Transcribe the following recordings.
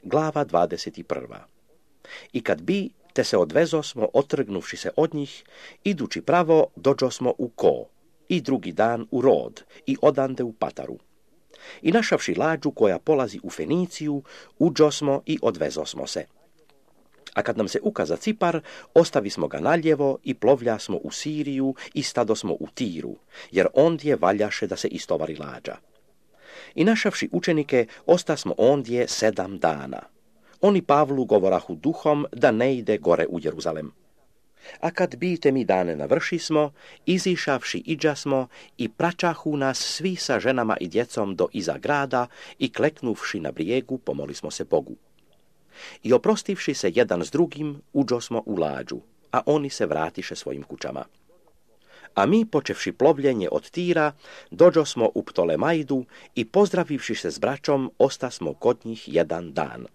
glava 21. I kad bi, te se odvezosmo, otrgnuvši se od njih, idući pravo, dođosmo u Ko, i drugi dan u Rod, i odande u Pataru. I našavši lađu koja polazi u Feniciju, uđosmo i odvezosmo se. A kad nam se ukaza Cipar, ostavismo ga naljevo i plovljasmo u Siriju i stadosmo u Tiru, jer ondje valjaše da se istovari lađa. I našavši učenike, ostasmo ondje 7 dana. Oni Pavlu govorahu duhom da ne ide gore u Jeruzalem. A kad bite mi dane navršismo, izišavši iđasmo i pračahu nas svi sa ženama i djecom do iza grada i kleknuvši na brijegu pomolismo se Bogu. I oprostivši se jedan s drugim, uđosmo u lađu, a oni se vratiše svojim kućama. A mi, počevši plovljenje od Tira, dođosmo u Ptolemaidu i pozdravivši se s braćom, ostasmo kod njih 1 dan.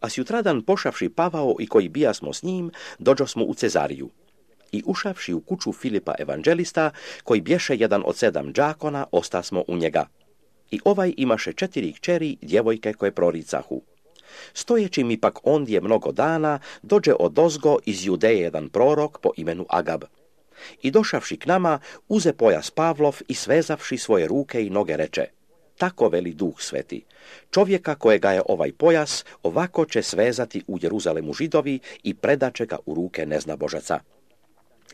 A sjutradan pošavši Pavao i koji bijasmo s njim, dođosmo u Cezariju. I ušavši u kuću Filipa evanđelista, koji bješe jedan od 7 đakona, ostasmo u njega. I ovaj imaše 4 kćeri, djevojke koje proricahu. Stojeći mi pak ondje mnogo dana, dođe odozgo iz Judeje jedan prorok po imenu Agab. I došavši k nama, uze pojas Pavlov i svezavši svoje ruke i noge reče: tako veli Duh Sveti, čovjeka kojega je ovaj pojas, ovako će svezati u Jeruzalemu Židovi i predaće ga u ruke neznabožaca.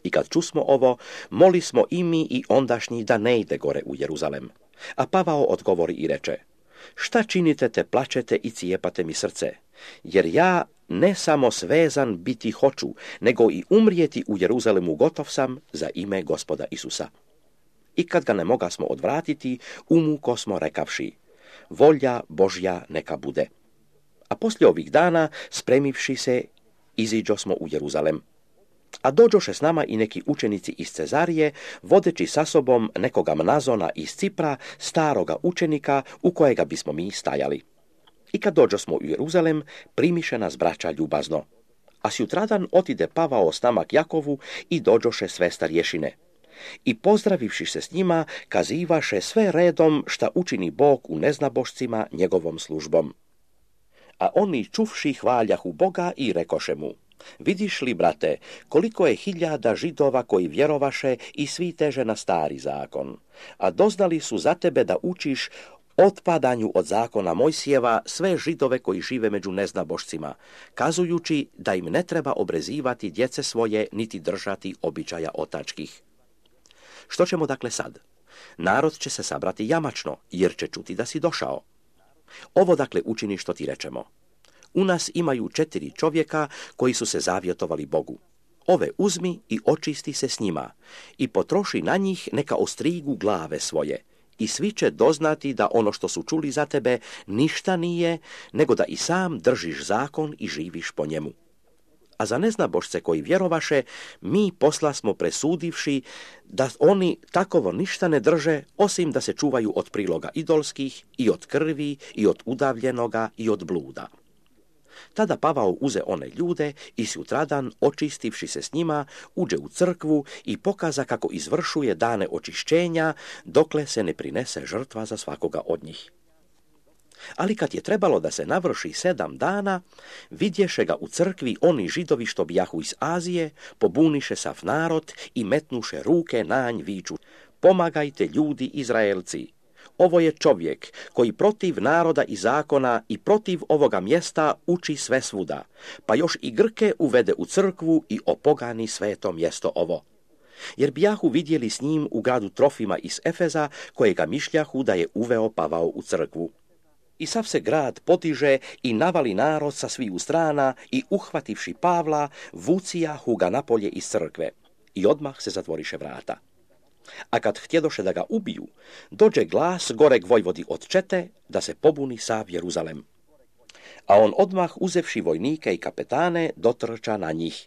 I kad čusmo ovo, molismo i mi i ondašnji da ne ide gore u Jeruzalem. A Pavao odgovori i reče: šta činite te plačete i cijepate mi srce? Jer ja ne samo svezan biti hoću, nego i umrijeti u Jeruzalemu gotov sam za ime Gospoda Isusa. I kad ga ne mogasmo odvratiti, umuko smo rekavši: volja Božja neka bude. A poslije ovih dana, spremivši se, iziđosmo u Jeruzalem. A dođoše s nama i neki učenici iz Cezarije, vodeći sa sobom nekoga Mnazona iz Cipra, staroga učenika u kojega bismo mi stajali. I kad dođosmo u Jeruzalem, primiše nas braća ljubazno. A sjutradan otide Pavao s nama k Jakovu i dođoše sve starješine. I pozdravivši se s njima, kazivaše sve redom šta učini Bog u neznabošcima njegovom službom. A oni čuvši hvaljahu Boga i rekoše mu: vidiš li, brate, koliko je 1000 Židova koji vjerovaše i svi teže na stari zakon, a doznali su za tebe da učiš otpadanju od zakona Mojsijeva sve Židove koji žive među neznabošcima, kazujući da im ne treba obrezivati djece svoje niti držati običaja otačkih. Što ćemo dakle sad? Narod će se sabrati jamačno, jer će čuti da si došao. Ovo dakle učini što ti rečemo. U nas imaju 4 čovjeka koji su se zavjetovali Bogu. Ove uzmi i očisti se s njima i potroši na njih neka ostrigu glave svoje. I svi će doznati da ono što su čuli za tebe ništa nije, nego da i sam držiš zakon i živiš po njemu. A za neznabošce koji vjerovaše, mi poslasmo presudivši da oni takovo ništa ne drže, osim da se čuvaju od priloga idolskih i od krvi i od udavljenoga i od bluda. Tada Pavao uze one ljude i sutradan, očistivši se s njima, uđe u crkvu i pokaza kako izvršuje dane očišćenja, dokle se ne prinese žrtva za svakoga od njih. Ali kad je trebalo da se navrši 7 dana, vidješe ga u crkvi oni Židovi što bijahu iz Azije, pobuniše sav narod i metnuše ruke na nj viču: pomagajte ljudi Izraelci! Ovo je čovjek koji protiv naroda i zakona i protiv ovoga mjesta uči sve svuda, pa još i Grke uvede u crkvu i opogani sveto mjesto ovo. Jer bijahu vidjeli s njim u gradu Trofima iz Efeza, kojega mišljahu da je uveo Pavao u crkvu. I sav se grad potiže i navali narod sa sviju strana i uhvativši Pavla, vucijahu ga napolje iz crkve i odmah se zatvoriše vrata. A kad htjedoše da ga ubiju, dođe glas goreg vojvodi od čete da se pobuni sav Jeruzalem. A on odmah uzevši vojnike i kapetane dotrča na njih.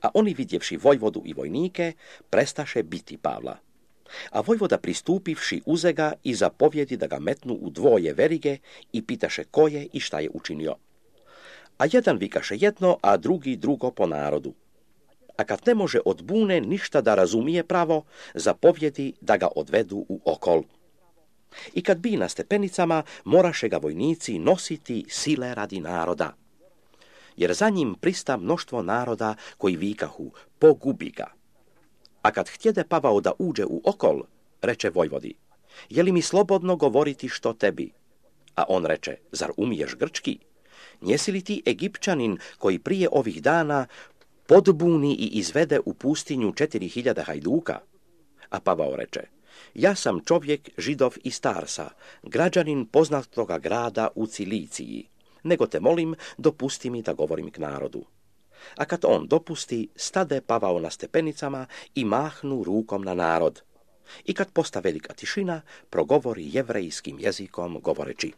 A oni vidjevši vojvodu i vojnike, prestaše biti Pavla. A vojvoda pristupivši uze ga i zapovjedi da ga metnu u 2 verige i pitaše ko je i šta je učinio. A jedan vikaše jedno, a drugi drugo po narodu. A kad ne može od bune ništa da razumije pravo, zapovjedi da ga odvedu u okol. I kad bi na stepenicama, moraše ga vojnici nositi sile radi naroda. Jer za njim prista mnoštvo naroda koji vikahu, pogubi ga. A kad htjede Pavao da uđe u okol, reče vojvodi, je li mi slobodno govoriti što tebi? A on reče, zar umiješ grčki? Njesi li ti Egipćanin koji prije ovih dana podbuni i izvede u pustinju 4000 hajduka? A Pavao reče, ja sam čovjek Židov iz Tarsa, građanin poznatoga grada u Ciliciji, nego te molim, dopusti mi da govorim k narodu. A kad on dopusti, stade Pavao na stepenicama i mahnu rukom na narod. I kad posta velika tišina, progovori jevrejskim jezikom govoreći,